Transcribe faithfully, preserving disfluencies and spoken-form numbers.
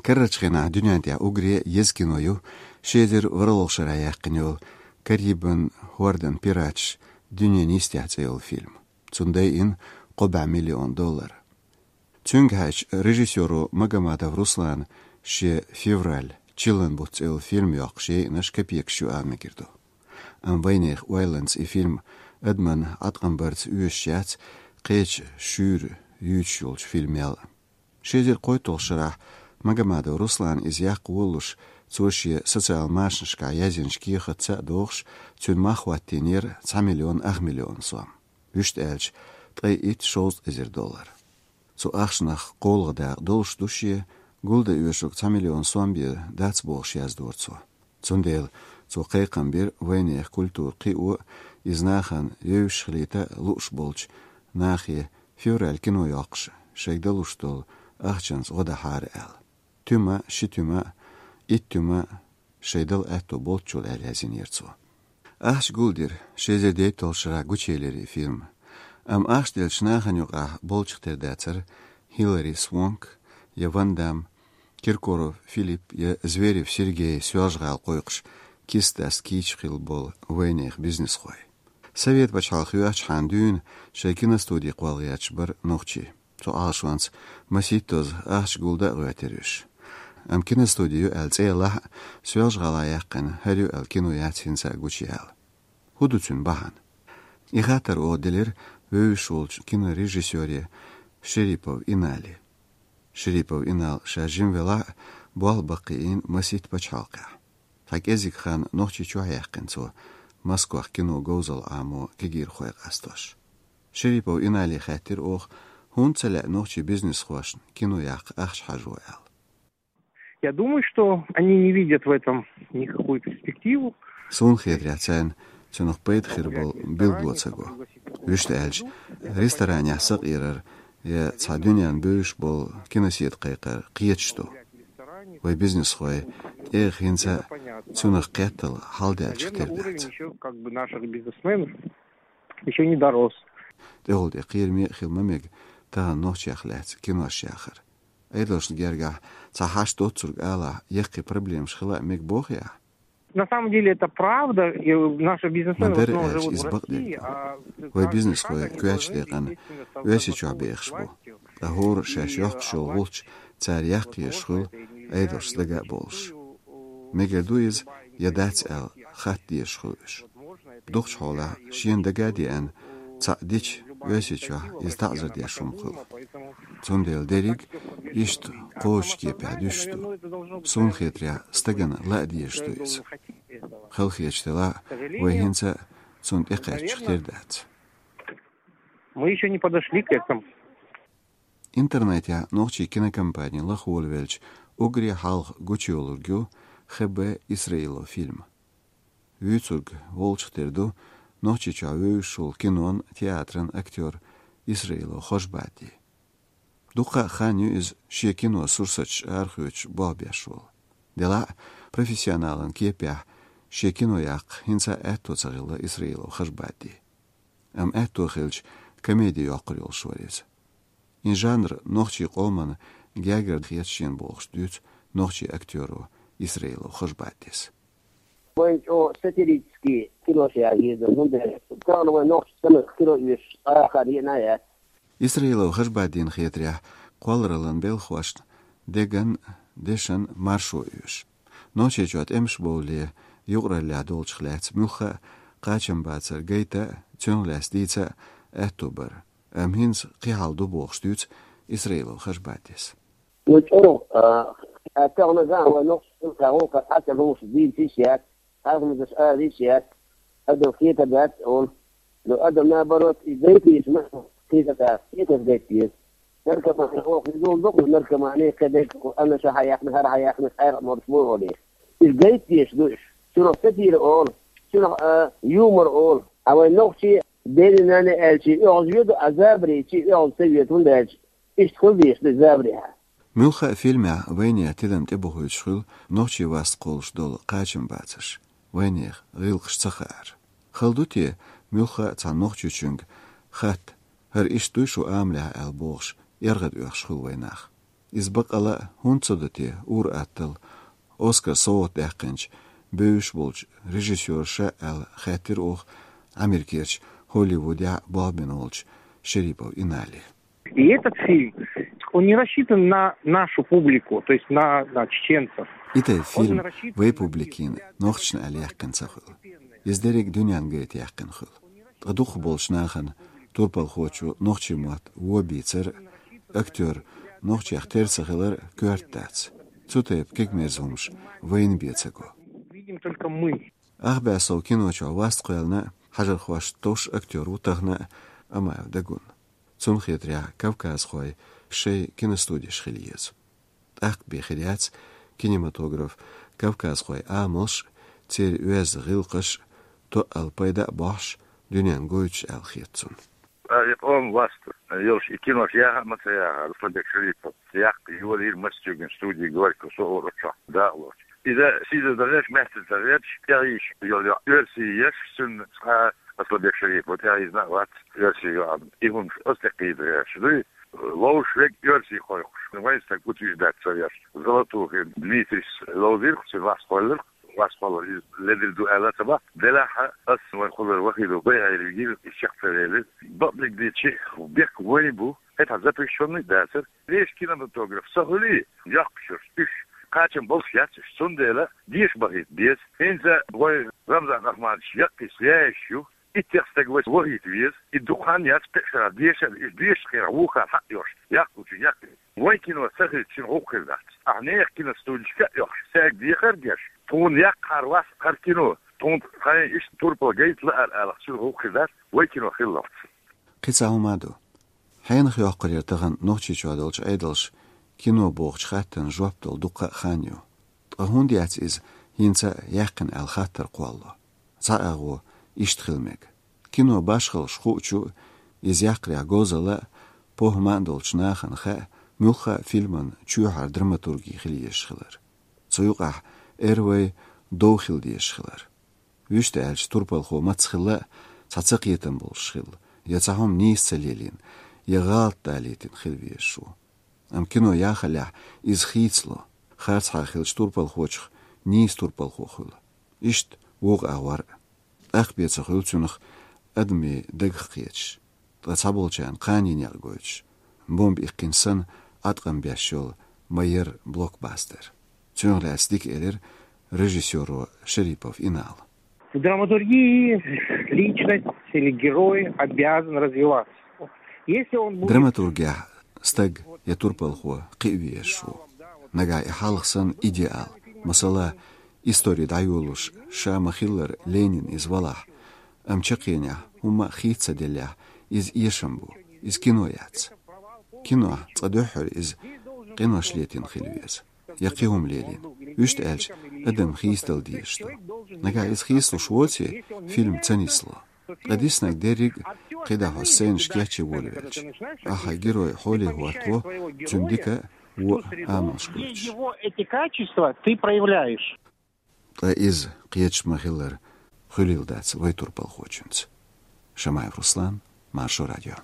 Карарчу хенахь дуьнен тӀехь уггаре еза кино ю ши эзар ворхӀалгӀа шарахь яьккхина йолу «Карибан хӀордан пираташ: дуьненан йистехь» цӀе йолу фильм. Цунна дайина кхо бӀе миллион доллар. Цуьнга хьаьжча, режиссёро Магомадов Руслана шен «Февраль, чиллан бутт» цӀе йолу фильм йоккхуш яйъинарш копейкаш ю ала мегар ду. Амма вайнехан ойланца и фильм адаман Ӏаткъам барца оьшуш яц кхечу шуьйра юьйцуш йолчу фильмел а. Ши эзар кхойтталгӀачу шарахь Магомадов Руслана иза яккха волалуш, цо шен социал машанашкахь язйинчу кехатца а догӀуш, цуьнан мах хӀоттийнера цхьа миллион ах миллион сом. Вуьшта аьлча, ткъе итт-шовзткъа эзар доллар. Цу ахчанах кхоалгӀа дакъа долуш ду шен, гулдан оьшург цхьа миллион сом бен дац бохуш яздора цо. Цундела цо кхайкхам бира вайнехан культура кхио, иза нахана евзаш хилийта лууш болчу нахе «Февраль» кино йоккхуш, шайга далуш долу ахчанца гӀо дахьара аьлла. Туьма, ши туьма, итт туьма шайн дала аьтто болччул аьлла язйинера цо. Ахча гулдира, ши эзар дейтталгӀачу шарахь гучуелира и фильм. Амма ахча деллачу нахана юкъахь болчух тера дацара Хилари Свонк я Ван Дам, Киркоров Филипп я Зверев Сергей Соьлжа-ГӀала кхойкхуш, киса даста кийча хилла болу вайнехан бизнесхой. Совет пачхьалкх йоьхчахьана дуьйна шайн киностуди кхолла гӀерташ бара нохчий. Цу Ӏалашонца масийттазза ахча гулдан а гӀоьртира уьш. Амма киностуди ю аьлла цӀе ялахь а, Соьлжа-ГӀала яьккхина хӀара ю аьлла кино яц хӀинца а гучуяьлла. ХӀун ду цуьнан бахьана? И хаттар оха делира вевзаш волчу кинорежиссёре Шерипов Инали. Шерипов Инал ша жима велахь а, болх баккхийна масийтта пачхьалкхехь. Цхьа кӀеззиг хан Нохчийчохь яьккхина цо, Москвахь кино говзалла Ӏамо кегийрхой къастош. Шерипов Инали хаьттира оха, хӀунда ца лаьа нохчийн бизнесхошна кино яккха ахча хьажо аьлла. Я думаю, что они не видят в этом никакую перспективу. Суна хетарехь, царна цунах пайда хир болу билгало ца го. Вуьшта аьлча, ресторанехь сакъерар я цхьа дуьненна бевзаш болу киносетта кхайкхар кхеташ ду. Вай бизнесхой тӀегӀа хӀинца а цунах кхеттал хьалдаьллачух тера дац. Ещё как бы наших бизнесменов ещё не дорос. ТӀехула тӀе кхераме а хила ма мега тахана нохчех лаьцна кинош яхар. Ӏедалшна гергахь цхьа хьашт доцург алахь, яккхий проблемаш хила а мега боху ахь? На самом деле это правда, и наши бизнесмены в Ма-дарра основном аьлча, живут в иза бакъдерг России, ду. А Вай бизнесхой коьртачу декъана Оьрсийчохь бехаш бу. Ткъа хӀора шаьш йоккхуш йолу гӀулч цара яккха езаш хуьлу, Ӏедалшца дага а болуш. Мегар ду иза, я дац аьлла, хатта дезаш хуьлу уьш. Дукхачу хьолахь шена дага а деана, цхьаъ дича, Оьрсийчохь иза таӀзар деш хӀума хуьлу. Цундела дерриг иштта кхочучу кепехь дуьсуш ду. Суна хетарехь, стагана лаа дезаш ду иза. Халахеташ делахь а, вай хӀинца а цунна тӀекхаьччух тера дац. Мы ещё не подошли к этому. Интернетехь нохчийн кинокомпани лаха волавелча, уггаре хьалха гучуйовлург ю Х Б Исраилов фильм. Вуьйцург волчух тера ду Нохчийчохь вевзаш волу кинон, театран актёр Исраилов Хожбатди. Дуккха а хан ю иза шен кино сурсаташ арахоьцуш болх беш волу. Делахь а, профессионалан кепехь шен кино яккха хӀинца а аьтто ца хилла Исраилов Хожбатдин. Амма аьтто хилча, комеди йоккхур йолуш вара иза. И жанр нохчийн къомана гергара хета шена бохуш дуьйцу нохчийн актёро Исраилов Хожбатдис. Вайн чӀогӀа сатирический кинош яра еза, хӀунда аьлча тахана вайн нохчийн кино оьшуш цхьа а хан еана а яц. Исраилов Хожбатдина хетарехь, кхоллараллин белхахошна деган, дешан маршо оьшу. Нохчийчохь тӀемаш бовлале юкъараллехь долчух лаьцна муьлхха а кхачамбацар гайта а, цунах лаьцна дийца а аьтто бара. Амма хӀинца кхин хьал ду бохуш дуьйцу Исраилов Хожбатдис. Ну, чӀогӀа, а, тахана ган вайн нохчийн гӀуллакхаш цхьацца хӀумаш дийца йиш яц, хьалхамазаш ала йиш яц, адам хетар дац олу. Ну, адам, наоборот, и гайта йиш ма, хетар дац, хетар гайта деза. Наркомани оха иза дукха, наркомани кхин дерг, аннаша хьаяхна, хӀара хьаяхна, къайгӀа а молуш бу олий. Иза гайта дезаш ду уьш. Цунах сатира олу, цунах, а, юмор олу. А вайн нохчий, дена-нана аьлчий, оьгӀаз йоду, а забарийчий, оьгӀаз ца йоьду, хӀунда аьлча иштта хила дезаш ду забарехь. Муьлхха а фильмехь вайнехан тидам тӀебохуьйтуш хуьлу нохчийн васт кхоллуш долу кхачамбацарш, вайнехан гӀиллакхаш ца хаар. Хала ду те, муьлхха а цхьана нохчочуьнга хатта, хӀара иштта дуй шун амалехь аьлла бохуш, эргӀад оьхуш хуьлу вайн нах. Иза бакъ а хӀунда ца до те, ур-атталла Оскар совгӀат даьккхинчу бевзаш болчу режиссёрша аьлла хаьттира оха Америкерчу Холливудехь болх бина волчу Шерипов Инали. И этот фильм, он не рассчитан на нашу публику, то есть на, на чеченцев. И тайпа фильм вай публикина нохчашна аьлла яьккхина ца хуьлу. Иза дерриг дуьненна гайта яьккхина хуьлу. Ткъа дукхахболчу нахана турпалхочо нохчийн мотт вон бийцар, актёр нохчех тера ца хилар коьрта дац. Цу тайпа кегамерза хӀумаш вайна бен ца го. Видим только мы. Ахбаьсов кино чохь васт кхоьллина хьажархошна товш актёр ву тахана а, Амаев Дагун. Цунна хетарехь, кавказхой шайн киностудеш хила еза. ТӀаккха бен хир яц кинематограф, кавказхойн амалш, церан оьзда гӀиллакхаш тоъал пайда а бохьуш, дуьненна гойтуш аьлла хета цунна. А и къоман васт йолуш и кинош яха а ма ца яха, Асланбек Шерипов яккха йолийра Москвин студи «Горький» со а вара оцу чохь дакъалоцуш. Иза сийсаз ца гӀерташ, маьстаза ца гӀерташ, тӀехьийзаш йолу оьрсий еш, цуьнан цкъа а Асланбек Шерипов тӀехьийзна а вац оьрсий йоӀ. И хӀумаш аса тӀекхийда гӀерташ дуй, ловзуш верг оьрсий кхойкхуш. Вайн стаг утверждать ца веш. Золотухин Дмитрийс ловзийра-кх, цуьнан васт кхоьллира-кх, васт кхоллар иза ледара ду аьлла ца боху. Делахь а ас вайн кхоллар Вахидов Байхьира вигира, иза чекх ца велира. Бакъдерг дийцича, бехк вайн бу, хӀетахь запрещённый а дацара. Вешан кинематограф ца хуьлий, йоккхачуьра уьш кхачам болуш яц уьш, цундела деша бахийта беза. ХӀинца вай Рамзан Ахмадович яккхийс яеш ю, иттех стаг вай вахийта веза, и дукха хан яц кхин а шарахь дешар, уьш дешачу хенахь вукхара хьаъ йолуш, яккхалучу яккхий. Вайн кино ца хилча, шуна гӀуллакх хир дац. Ахьа нехан киностудешка а йохуш, цаьрга дехар а деш, тхуна яккхахьара вац хӀара кино, тхуна тхайн иштта турпал гайта лаар алахь, шуна гӀуллакх хир дац, вайн кино хилалц. Кхин цхьа хӀума а ду. Хьенах йоккхур яра тахана Нохчийчохь долчу Ӏедалша кино бохучу хаттарна жоп дала дуккха а хан ю. Ткъа хӀунда яц иза хӀинца а яьккхина аьлла хаттар кхоллало? Цхьа агӀо иштта хила мега. Кино башхаллаш хуучу а, иза яккхарехь говзалла а, похӀма а долчу нахана хаьа, муьлхха а фильман чоьхьара драматурги хила езаш хилар. Цу юкъахь эрна вай дов хила дезаш хилар. Вуьшта аьлча, турпалхо маца хилла а, цхьа цакхетам болуш хилла, я цхьа хӀума нийса ца лелийна, я гӀалат далийтина хила везаш ву. Амма кино яхалехь, иза хийцало, харцахьара хиллачу турпалхочух нийса турпалхо хуьлу. Иштта вукху агӀор а. ТӀаккха бен ца хуьлу цунах адамийн дагах кхеташ, ткъа цхьаболчарна кханийн некъ гойтуш, бомба иккхина санна, Ӏаткъам беш йолу ма-ярра блокбастер. Цунах лаьцна дика элира режиссёро Шерипов Инала. В драматургии личность или герой обязан развиваться. Если он будет... Драматургехь стаг я турпалхо кхиавеш ву. Нагахь и хьалха санна идеал, масала, истори дӀайолуш ша ма-хиллара Ленин иза валахь, амма чаккхенехь хӀумма а хийца ца деллехь, иза эшам бу, иза кино яц. Кинохь цкъа дуьххьара иза къинош летийна хила веза, я кхин хӀума лелийна. Вуьшта аьлча, адам хийцадала дезаш ду. Нагахь иза хийцалуш воций, фильм ца нисло. Ткъа диснарг дерриг а кхидӀа хьо сценаш кечъян волавелча, ахьа герой хьоле хӀоттаво, цуьнан дика а, вон а амалш гойтуш. Его эти качества ты проявляешь. Ткъа иза кхеташ ма-хиллара хуьлийла дац вай турпалхочуьнца. Шамаев Руслан, Маршо радио.